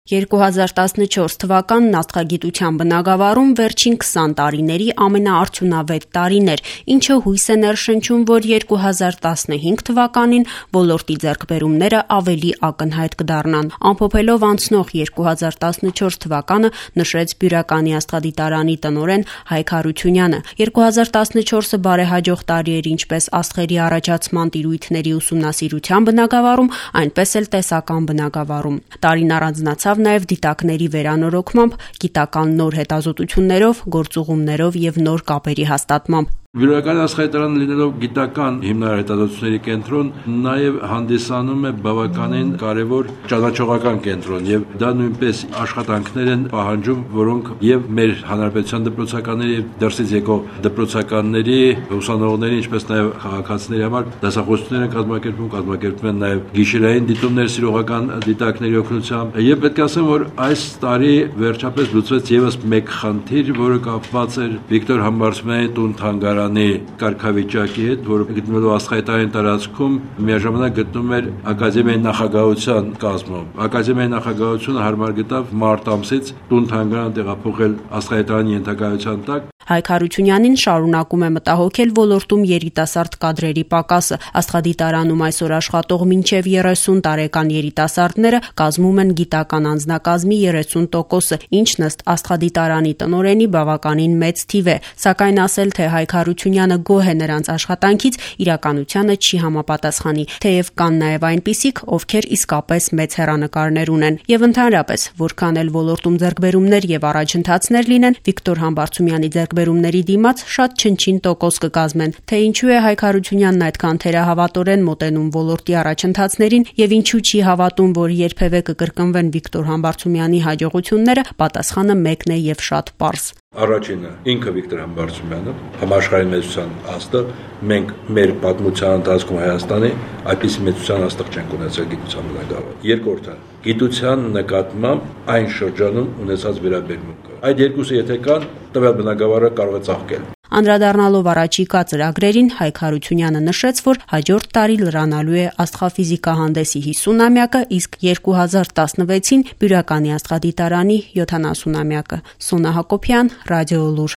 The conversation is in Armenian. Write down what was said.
2014 թվականն աստղագիտության բնագավառում վերջին 20 տարիների ամենաարդյունավետ տարին էր, ինչը հույս է ներշնչում, որ 2015 թվականին ոլորտի ձեռքբերումները ավելի ակնհայտ կդառնան։ Ամփոփելով անցնող 2014 թվականը նշեց Բյուրականի աստղադիտարանի տնօրեն Հայկ Հարությունյանը։ 2014-ը բարեհաջող տարի էր ինչպես աստղերի առաջացման տիրույթների ուսումնասիրության բնագավառում, այնպես էլ տեսական բնագավառում։ Տարին առանձնացավ նաև դիտակների վերանորոգմամբ, գիտական նոր հետազոտություններով, գործուղումներով եւ նոր կապերի հաստատմամբ։ Բյուրականի աստղադիտարանը լինելով գիտական հիմնարար հետազոտությունների կենտրոն, նաև հանդիսանում է բավականին կարևոր ճանաչողական կենտրոն, եւ դա նույնպես աշխատանքներ են պահանջում, որոնք եւ մեր հանրապետության դպրոցականների եւ դրսից եկող դպրոցականների, ուսանողների, ինչպես նաև քաղաքացիների համար դասախոսություններ են կազմակերպում են նաև գիշերային դիտումներ սիրողական դիտակների օգնությամբ։ Եվ պետք է ասեմ, որ այս տարի վերջապես լուծվեց եւս մեկ խնդիր, որը կապված էր Վիկտոր Համբարձումյանի տուն-թանգարանի կարգավիճակի հետ, որը գտնվելով աստղադիտարանի տարածքում միաժամանակ գտնվում էր ակադեմիայի նախագահության կազմում։ Ակադեմիայի նախագահությունը հարմար գտավ մարտ ամսից տուն-թանգարան տեղափոխել աստղադիտարանի ենթակայության տակ։ Հայկ Հարությունյանին շարունակում է մտահոգել ոլորտում երիտասարդ կադրերի պակասը։ Աստղադիտարանում այսօր աշխատող մինչև 30 տարեկան երիտասարդները կազմում են գիտական անձնակազմի 30%-ը, ինչն ըստ աստղադիտարանի տնօրենի բավականին մեծ թիվ է, սակայն ասել, թե Հայկ Հարությունյանը գոհ է նրանց աշխատանքից, իրականությանը չի համապատասխանի, թեև կան նաև այնպիսիք, ովքեր իսկապես մեծ հեռանկարներ ունեն։ Եվ ընդհանրապես, որքան էլ ոլորտում ձեռքբերումներ եւ առաջընթացներ լինեն, Վիկտոր Համբարձումյանի ձեռքբերումների դիմաց շատ չնչին տոկոս կկազմեն, թե ինչու է Հայկ Հարությունյանն այդքան թերահավատորեն մոտենում ոլորտի առաջընթացներին եւ ինչու չի հավատում, որ երբևէ կկրկնվեն Վիկտոր Համբարձումյանի հաջողությունները, պատասխանը մեկն է եւ շատ պարզ։ Առաջինը ինքը Վիկտոր Համբարձումյանը, համաշխարհային մեծության աստղ, մենք մեր պատմության ընթացքում Հայաստանի այդպիսի մեծության աստղ չենք ունեցել գիտության բնագավառում։ Երկրորդը գիտության նկատմամբ այն շրջանում ունեցած վերաբերմունքը։ Այդ երկուսը եթե կան, տվյալ բնագավառը կարող է ծաղկել։ Անդրադառնալով առաջիկա ծրագրերին, Հայկ Հարությունյանը նշեց, որ հաջորդ տարի լրանալու է աստղաֆիզիկա հանդեսի 50-ամյակը, իսկ 2016-ին Բյուրականի աստղադիտարանի 70-ամյակը։ Սոնա Հակոբյան, Ռադիոլուր։